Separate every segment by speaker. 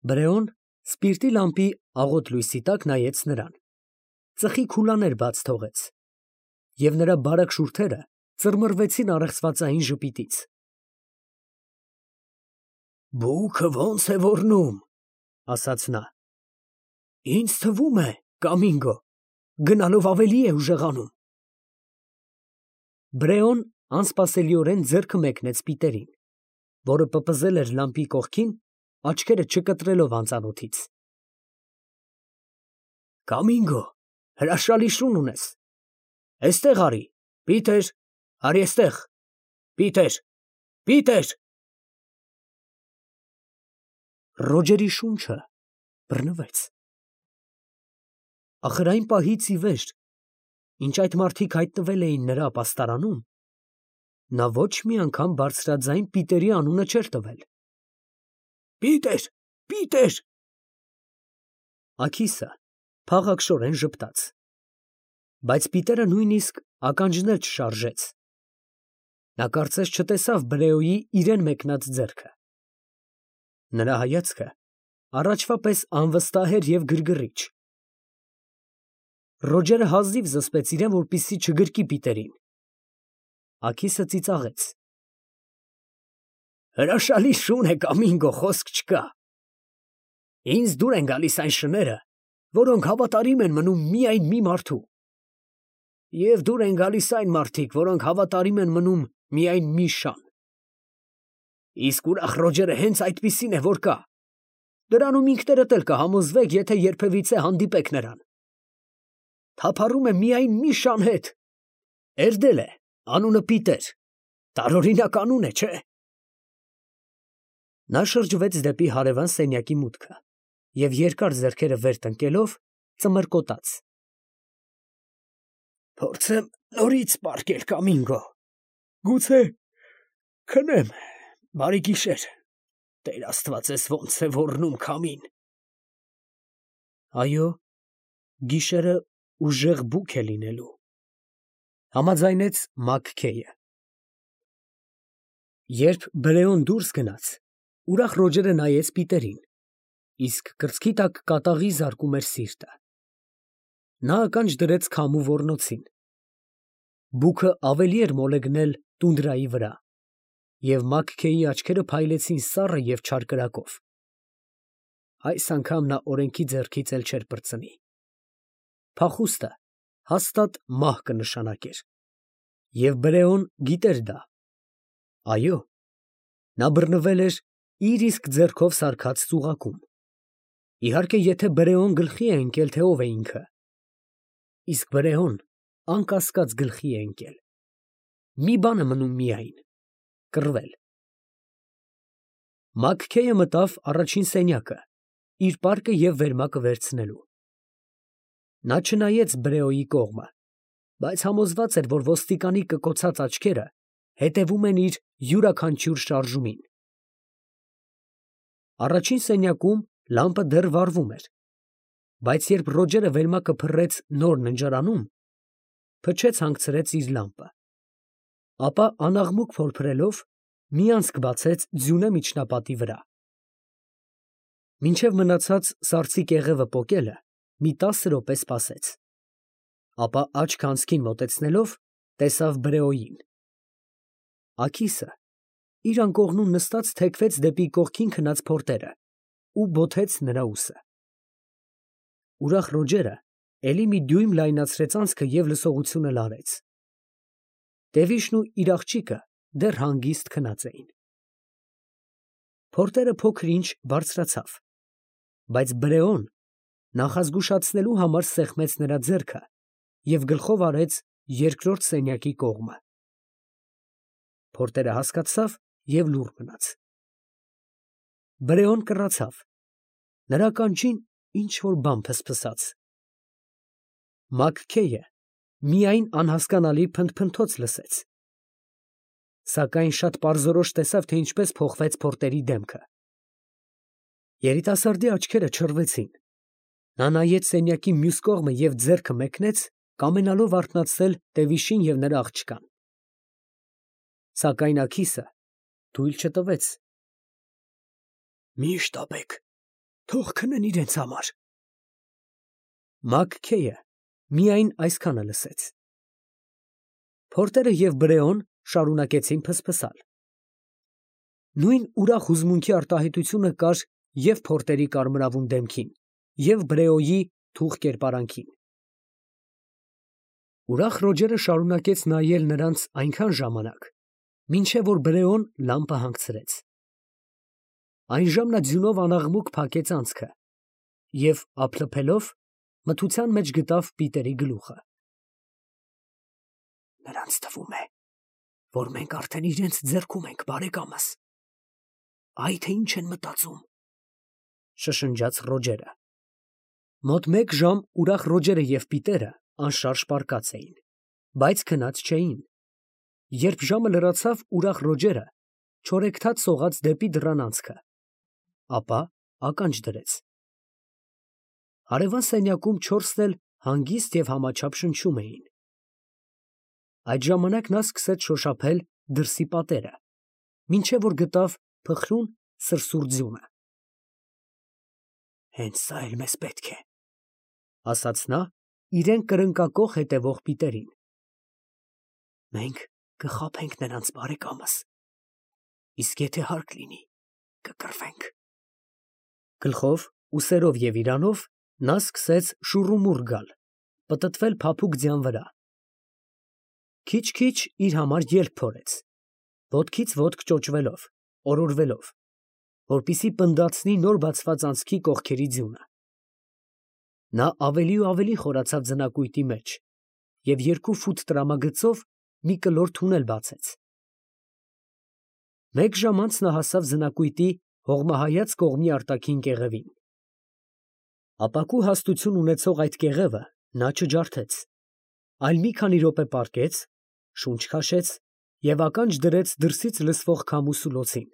Speaker 1: Բրեոն սպիրտի լամպի աղոտ լույսի տակ նայեց նրան, ծխի քուլաներ բաց թողեց, և նրա բարակ շուրթերը ծռմռվեցին առեղծվածային ժպիտից։ «Բուքը ո՞նց է ոռնում, ֊ ասաց նա, ֊ ինձ թվում է, Կամինգո գնալով ավելի է ուժեղանում»։ Բրեոն անսպասելիորեն ձեռքը մեկնեց Պիտերին, որը պպզել էր լամպի կողքին, աչքերը չկտրելով անծանոթից։ «Կամինգո, հրաշալի շուն ունես, էստեղ արի, Պիտեր, արի էստեղ, Պիտեր, Պիտեր»։ Ռոջերի շունչը բռնվեց։ Ախր այն պահից ի վեր, ինչ այդ մարդիկ հայտնվել էին նրա ապաստարանում, նա ոչ մի անգամ բարձրաձայն Պիտերի անունը չէր տվել։ «Պիտեր, Պիտեր»։ Աքիսը փաղաքշորեն ժպտաց, բայց Պիտերը նույնիսկ ականջներ չշարժեց։ Նա կարծես չտեսավ Բրեոյի իրան մեկնած ձեռքը։ Նրա հայացքը առաջվա պես անվստահ էր և գրգռիչ։ Ռոջերը հազիվ զսպեց իրան, որպեսզի չգրկի Պիտերին։ Աքիսը ծիծաղեց. «Հրաշալի շուն է, Կամինգո, խոսք չկա։ Ինձ դուր են գալիս այն շները, որոնք հավատարիմ են մնում միայն մի մարդու, և դուր են գալիս այն մարդիկ, որոնք հավատարիմ են մնում միայն մի շան։ Իսկ ուրախ Ռոջերը հենց այդպիսին է, որ կա։ Դրանում ինքներդ էլ կհամոզվեք, եթե երբևիցե հանդիպեք նրան։ Թափառում է միայն մի շան հետ, էրդել է, անունը Պիտեր, տարօրինակ անուն է, չէ՞։ Նա շրջվեց դեպի հարևան սենյակի մուտքը և երկար ձեռքերը վեր տնկելով ծմրկոտաց. «Փորձեմ նորից պառկել, Կամինգո, գուցե քնեմ, բարի գիշեր, Տեր Աստվածես ոնց է ոռնում քամին»։ Այո, գիշերը ուժեղ բուք է լինելու, ֊ համաձայնեց Մակքեյը։ Երբ Բրեոն դուրս գնաց, ուրախ Ռոջերը նայեց Պիտերին, իսկ կրծքի տակ կատաղի զարկում էր սիրտը։ Նա ականջ դրեց քամու ոռնոցին։ Բուքը ավելի էր մոլեգնել տունդրայի վրա, և Մակքեյի աչքերը փայլեցին սառը և չար կրակով։ Այս անգամ նա օրենքի ձեռքից էլ չէր պրծնի։ Փախուստը հաստատ մահ կնշանակեր, և Բրեոն գիտեր դա։ Այո, նա բռնվել էր իր իսկ ձեռքով սարքած ծուղակում, իհարկե, եթե Բրեոն գլխի է ընկել, թե ով է ինքը։ Իսկ Բրեոն անկասկած գլխի է ընկել։ Մի բան է մնում միայն՝ կռվել։ Մակքեյը մտավ առաջին սենյակը, իր պարկը և վերմակը վերցնելու։ Նա չնայեց Բրեոյի կողմը, բայց համոզված էր, որ ոստիկանի կկոցած աչքերը հետևում են իր յուրաքանչյուր շարժումին։ Առաջին սենյակում լամպը դեռ վառվում էր, բայց երբ Ռոջերը վերմակը փռեց նոր ննջարանում, փչեց հանգցրեց իր լամպը, ապա անաղմուկ փորփրելով մի անցք բացեց ձյունե միջնապատի վրա։ Մինչև մնացած սառցի կեղևը պոկելը մի 10 րոպե սպասեց, ապա աչքը անցքին մոտեցնելով, տեսավ Բրեոյին։ Աքիսը իր անկողնում նստած թեքվեց դեպի կողքին քնած փորտերը ու բոթեց նրա ուսը։ Ուրախ Ռոջերը էլի մի դյույմ լայնացրեց անցքը և լսողությունը լարեց։ Տևիշն ու իր աղջիկը դեռ հանգիստ քնած էին։ Փորտերը փոքր֊ինչ բարձրացավ, բայց Բրեոն նախազգուշացնելու համար սեղմեց նրա ձեռքը և գլխով արեց երկրորդ սենյակի կողմը։ Փորտերը հասկացավ և լուռ մնաց։ Բրեոն կռացավ, նրա ականջին ինչ֊որ բան փսփսաց։ Մակքեյը միայն անհասկանալի փնթփնթոց լսեց, սակայն շատ պարզորոշ տեսավ, թե ինչպես փոխվեց փորտերի դեմքը։ Երիտասարդի աչքերը չռվեցին, նա նայեց սենյակի մյուս կողմը և ձեռքը մեկնեց, կամենալով արթնացնել Տևիշին և նրա աղջկան։ Սակայն Աքիսը թույլ չտվեց։ «Մի՛ շտապեք, Թող քնեն իրենց համար։ Մաքքեյը միայն այսքանը լսեց։ Փորտերը և Բրեոն շարունակեցին փսփսալ։ Նույն ուրախ հուզմունքի արտահայտությունը կար և փորտերի կարմրավուն դեմքին, և Բրեոյի թուխ կերպարանքին։ Ուրախ Ռոջերը շարունակեց նայել նրանց այնքան ժամանակ, մինչև որ Բրեոն լամպը հանգցրեց։ Այնժամ նա ձյունով անաղմուկ փակեց անցքը և, ափլփելով, մթության մեջ գտավ Պիտերի գլուխը։ Նրանց թվում է, որ մենք արդեն իրենց ձեռքում ենք, բարեկամս։ Այ թե ինչ են մտածում, շշնջաց Ռոջերը։ Մոտ մեկ ժամ ուրախ Ռոջերը և Պիտերը անշարժ պառկած էին, բայց քնած չէին։ Երբ ժամը լրացավ, ուրախ Ռոջերը չորեքթաթ սողաց դեպի դռան անցքը, ապա ականջ դրեց։ Հարևան սենյակում չորսն էլ հանգիստ և համաչափ շնչում էին։ Այդ ժամանակ նա սկսեց շոշափել դրսի պատերը, մինչև որ գտավ փխրուն սրսուր ձյունը։ Հենց սա էլ մեզ պետք է, ասաց նա իրեն կրնկակոխ հետևող Պիտերին։ Մենք կխաբենք նրանց, բարեկամս, իսկ եթե հարկ լինի, կկռվենք։ Գլխով, ուսերով և իրանով նա սկսեց շուռումուռ գալ, պտտվել փափուկ ձյան վրա։ Քիչ֊քիչ իր համար ելք փորեց, ոտքից ոտք ճոճվելով, օրորվելով, որպեսզի պնդացնի նոր բացված անցքի կողքերի ձյունը։ Նա ավելի ու ավելի խորացավ ձնակույտի մեջ և 2 ֆուտ տրամագծով մի կլոր թունել բացեց։ Մեկ ժամ անց նա հասավ ձնակույտի հողմահայաց կողմի արտաքին կեղևին։ Ապակու հաստություն ունեցող այդ կեղևը նա չջարդեց, այլ մի քանի րոպե պառկեց, շունչ քաշեց և ականջ դրեց դրսից լսվող քամու սուլոցին։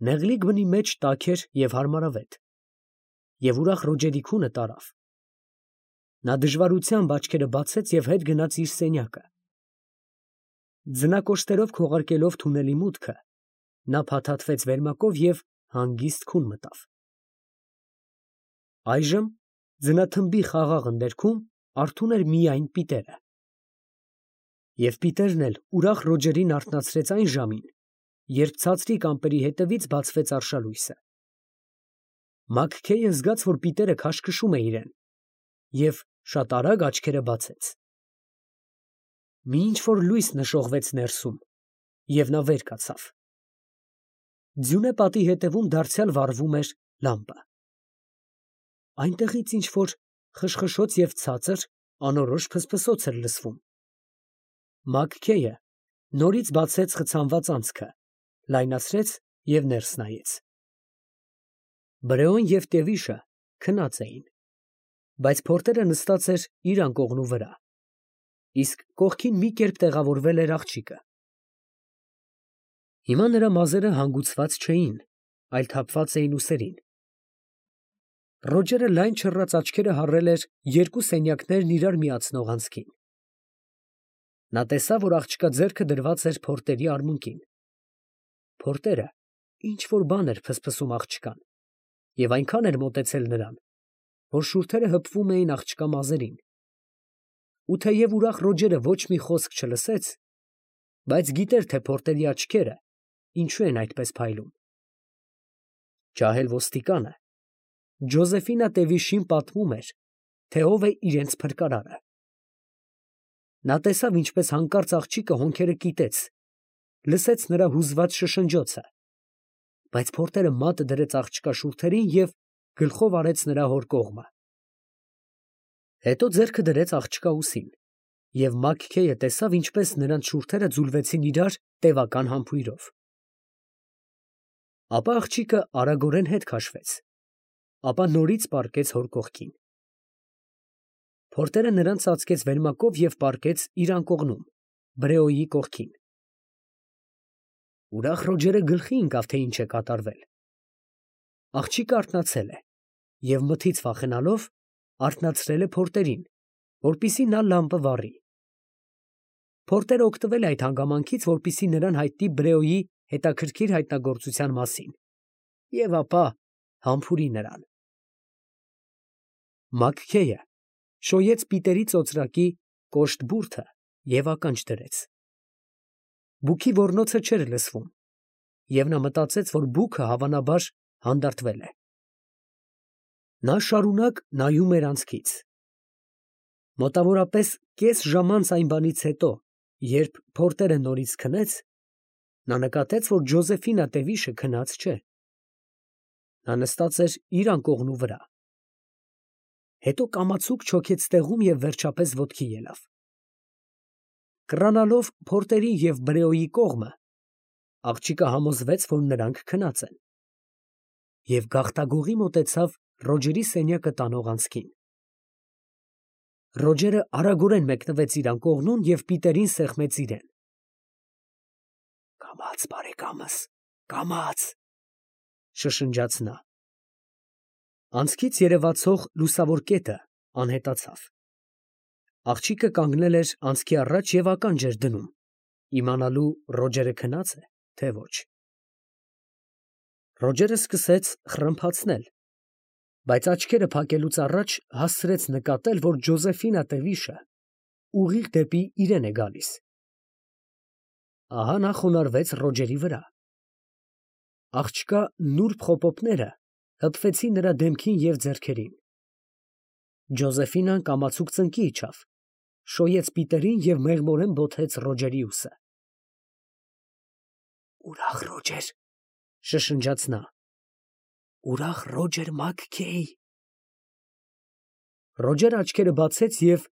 Speaker 1: Նեղլիկ բնի մեջ տաք էր և հարմարավետ, և ուրախ Ռոջերի քունը տարավ։ Նա դժվարությամբ աչքերը բացեց և հետ գնաց իր սենյակը։ Ձնակոշտերով քողարկելով թունելի մուտքը, նա փաթաթվեց վերմակով և հանգիստ քուն մտավ։ Այժմ ձնաթմբի խաղաղ ընդերքում արթուն էր միայն Պիտերը։ Եվ Պիտերն էլ ուրախ Ռոջերին արթնացրեց այն ժամին, երբ ցածրիկ ամպերի հետևից բացվեց արշալույսը։ Մաքքեյը զգաց, որ Պիտերը քաշքշում է իրեն, և շատ արագ աչքերը բացեց։ Մի ինչ֊որ լույս նշողվեց ներսում, և նա վեր կացավ։ Ձյունե պատի հետևում դարձյալ վառվում էր լամպը։ Այնտեղից ինչ֊որ խշխշոց և ցածր, անորոշ ֆսֆսոց էր լսվում։ Մաքքեյը նորից բացեց խցանված անցքը, լայնացրեց և ներս նայեց։ Բրեոն և Տևիշը քնած էին, բայց Փորտերը նստած էր իր անկողնու վրա, իսկ կողքին մի կերպ տեղավորվել էր աղջիկը։ Հիմա նրա մազերը հանգուցված չէին, այլ թափված էին ուսերին։ Ռոջերը լայն չռած աչքերը հառել էր 2 սենյակներն իրար միացնող անցքին։ Նա տեսավ, որ աղջկա ձեռքը դրված էր Փորտերի արմունկին։ Փորտերը ինչ֊որ բան էր ֆսֆսում աղջկան և այնքան էր մոտեցել նրան, որ շուրթերը հպվում էին աղջկա մազերին։ Ու թեև ուրախ Ռոջերը ոչ մի խոսք չլսեց, բայց գիտեր, թե Փորտերի աչքերը ինչու են այդպես փայլում։ Ջահել ոստիկանը Ջոզեֆինա Տևիշին պատմում էր, թե ով է իրենց փրկարարը։ Նա տեսավ, ինչպես հանկարծ աղջիկը հոնքերը կիտեց, լսեց նրա հուզված շշնջոցը, բայց Փորտերը մատը դրեց աղջկա շուրթերին և գլխով արեց նրա հոր կողմը։ Հետո ձեռքը դրեց աղջկա ուսին, և Մաքքեյը տեսավ, ինչպես նրանց շուրթերը ձուլվեցին իրար տևական համբույրով։ Ապա աղջիկը արագորեն հետ քաշվեց, ապա նորից պառկեց հոր կողքին։ Փորտերը նրան ծածկեց վերմակով և պառկեց իր անկողնում, Բրեոյի կողքին։ Ուրախ Ռոջերը գլխի ընկավ, թե ինչ է կատարվել։ Աղջիկը արթնացել է և մթից վախենալով արթնացրել է Փորտերին, որպեսզի նա լամպը վառի։ Փորտերը օգտվել է այդ հանգամանքից, որպեսզի նրան հայտնի Բրեոյի հետաքրքիր հայտնագործության մասին, և ապա համբուրի նրան։ Մաքքեյը շոյեց Պիտերի ծոծրակի կոշտ բուրդը և ականջ դրեց։ Բուքի ոռնոցը չէր լսվում, և նա մտածեց, որ բուքը հավանաբար հանդարտվել է։ Նա շարունակ նայում էր անցքից։ Մոտավորապես կես ժամանց այն բանից հետո, երբ փորտերը նորից քնեց, նա նկատեց, որ Ջոզեֆինա Տևիշը քնած չէ։ Նա նստած էր իր անկողնու վրա։ Հետո կամացուկ չոքեց տեղում և վերջապես ոտքի ելավ։ Կռանալով փորտերի և Բրեոյի կողմը, աղջիկը համոզվեց, որ նրանք քնած են, և գաղտագողի մոտեցավ Ռոջերի սենյակը տանող անցքին։ Ռոջերը արագորեն մեկնվեց իր անկողնուն և Պիտերին սեղմեց իրեն։ «Կամաց, բարեկամս, կամաց», շշնջաց նա։ Անցքից երևացող լուսավոր կետը անհետացավ։ Աղջիկը կանգնել էր անցքի առաջ և ականջ էր դնում, իմանալու Ռոջերը քնա՞ծ է, թե ոչ։ Ռոջերը սկսեց խռմփացնել, բայց աչքերը փակելուց առաջ հասցրեց նկատել, որ Ջոզեֆինա Տևիշը ուղիղ դեպի իրեն է գալիս։ Ահա նա խոնարհվեց Ռոջերի վրա։ Աղջկա նուրբ խոպոպները հպվեցին նրա դեմքին և ձեռքերին։ Ջոզեֆինան կամացուկ ծնկի իջավ, շոյեց Պիտերին և մեղմորեն բոթեց Ռոջերի ուսը։ «Ուրախ Ռոջեր», շշնջաց նա, «ուրախ Ռոջեր Մաքքեյ»։ Ռոջերը աչքերը բացեց և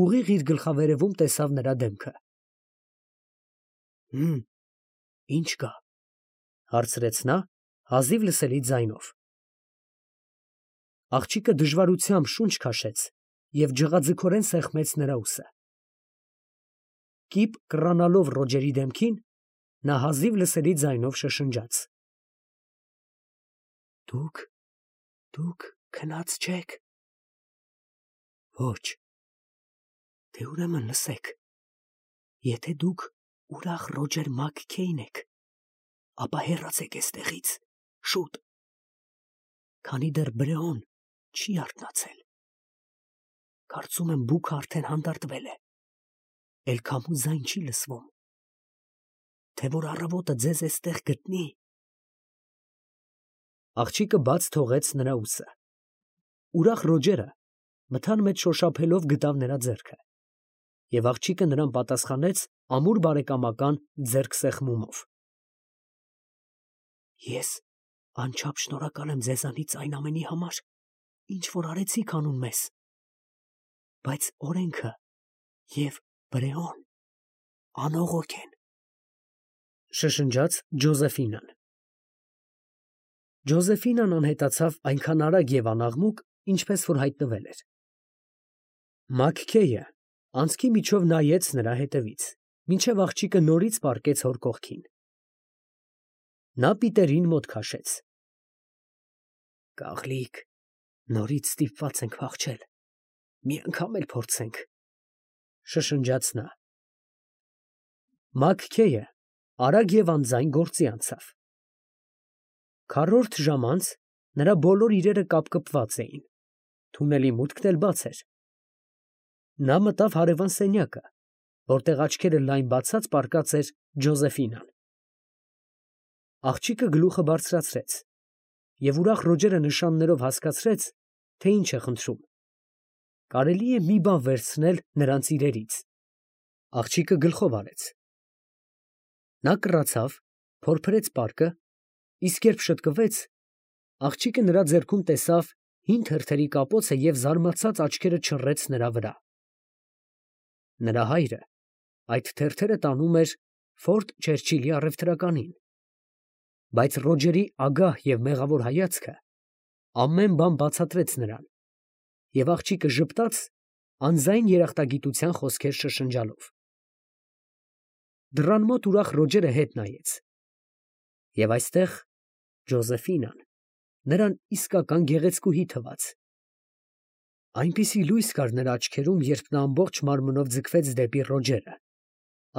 Speaker 1: ուղիղ իր գլխավերևում տեսավ նրա դեմքը։ Ի՞նչ կա, ֊ հարցրեց նա հազիվ լսելի ձայնով։ Աղջիկը դժվարությամբ շունչ քաշեց և ջղաձգորեն սեղմեց նրա ուսը։ Կիպ կռանալով Ռոջերի դեմքին, նա հազիվ լսելի ձայնով շշնջաց. Դուք քնած չեք։ Ոչ։ Դե ուրեմն լսեք, եթե դուք ուրախ Ռոջեր Մաքքեյն եք, ապա հեռացեք էստեղից, շուտ, քանի դեռ Բրեոն չի արթնացել։ Կարծում եմ բուքը արդեն հանդարտվել է, էլ քամու ձայն չի լսվում, թե որ առավոտը ձեզ էստեղ գտնի։ Աղջիկը բաց թողեց նրա ուսը։ Ուրախ Ռոջերը մթան մեջ շոշափելով գտավ նրա ձեռքը, և աղջիկը նրան պատասխանեց ամուր բարեկամական ձեռքսեղմումով։ Ես անչափ շնորհակալ եմ ձեզանից այն ամենի համար, ինչ որ արեցիք անուն մեզ, բայց օրենքը և Բրեոն անողոք են, շշնջաց Ջոզեֆինան։ Ջոզեֆինան անհետացավ այնքան արագ և անաղմուկ, ինչպես որ հայտնվել էր։ Մաքքեյը անցքի միջով նայեց նրա հետևից, մինչև աղջիկը նորից պառկեց հոր կողքին։ Նա Պիտերին մոտ քաշեց։ Կաղլիկ, նորից ստիպված ենք փախչել, մի անգամ էլ փորձենք, շշնջաց նա։ Մաքքեյը արագ և անձայն գործի անցավ։ Քառորդ ժամ անց նրա բոլոր իրերը կապկպված էին, թունելի մուտքն էլ բաց էր։ Նա մտավ հարևան սենյակը, որտեղ աչքերը լայն բացած պառկած էր Ջոզեֆինան։ Աղջիկը գլուխը բարձրացրեց, և ուրախ Ռոջերը նշաններով հասկացրեց, թե ինչ է խնդրում։ Կարելի է մի բան վերցնել նրանց իրերից։ Աղջիկը գլխով արեց։ Նա կռացավ, փորփրեց պարկը, իսկ երբ շտկվեց, աղջիկը նրա ձեռքում տեսավ հին թերթերի կապոցը և զարմացած աչքերը չռեց նրա վրա։ Նրա հայրը այդ թերթերը տանում էր Ֆորտ Չերչիլի առևտրականին, բայց Ռոջերի ագահ և մեղավոր հայացքը ամեն բան բացատրեց նրան, և աղջիկը ժպտաց, անձայն երախտագիտության խոսքեր շշնջալով։ Դռան մոտ ուրախ Ռոջերը հետ նայեց, և այստեղ Ջոզեֆինան նրան իսկական գեղեցկուհի թվաց։ Այնպիսի լույս կար նրա աչքերում, երբ նա ամբողջ մարմնով ձգվեց դեպի Ռոջերը,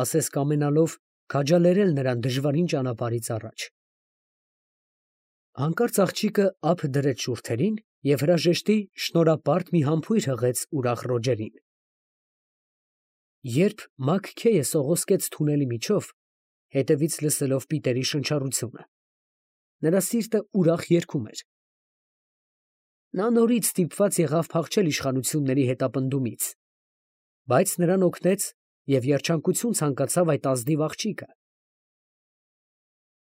Speaker 1: ասես կամենալով քաջալերել նրան դժվարին ճանապարհից առաջ։ Հանկարծ աղջիկը ափ դրեց շուրթերին և հրաժեշտի շնորհապարտ մի համբույր հղեց ուրախ Ռոջերին։ Երբ Մաքքեյը սողոսկեց թունելի միջով, հետևից լսելով Պիտերի շնչառությունը, նրա սիրտը ուրախ երգում էր։ Նա նորից ստիպված եղավ փախչել իշխանությունների հետապնդումից, բայց նրան օգնեց և երջանկություն ցանկացավ այդ ազնիվ աղջիկը։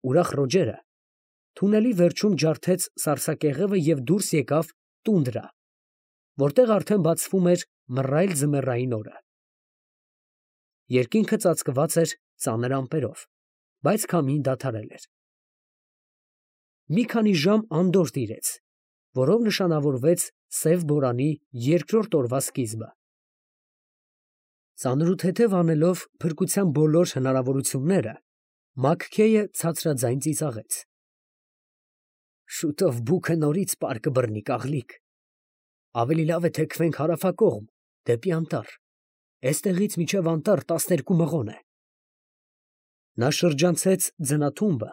Speaker 1: Ուրախ Ռոջերը թունելի վերջում ջարդեց սառցակեղևը և դուրս եկավ տունդրա, որտեղ արդեն բացվում էր մռայլ ձմեռային օրը։ Երկինքը ծածկված էր ծանր ամպերով, բայց քամին դադարել էր։ Մի քանի ժամ անդորր տիրեց, որով նշանավորվեց սև բորանի երկրորդ օրվա սկիզբը։ Ծանրութեթև անելով փրկության բոլոր հնարավորությունները, Մաքքեյը ցածրաձայն ծիծաղեց. «Շուտով բուքը նորից պար կբռնի, կաղլիկ, ավելի լավ է թեքվենք հարավակողմ, դեպի անտառ, էստեղից մինչև անտառ 12 մղոն է»։ Նա շրջանցեց ձնաթումբը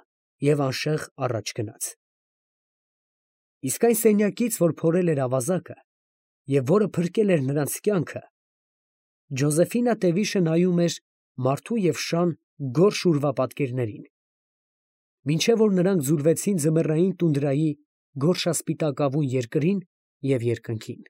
Speaker 1: և անշեղ առաջ գնաց։ Իսկ այն սենյակից, որ փորել էր ավազակը և որը փրկել էր նրանց կյանքը, Ջոզեֆինա Տևիշը նայում էր մարդու և շան գորշ ուրվապատկերներին, մինչև որ նրանք ձուլվեցին ձմեռային տունդրայի գորշասպիտակավուն երկրին և երկնքին։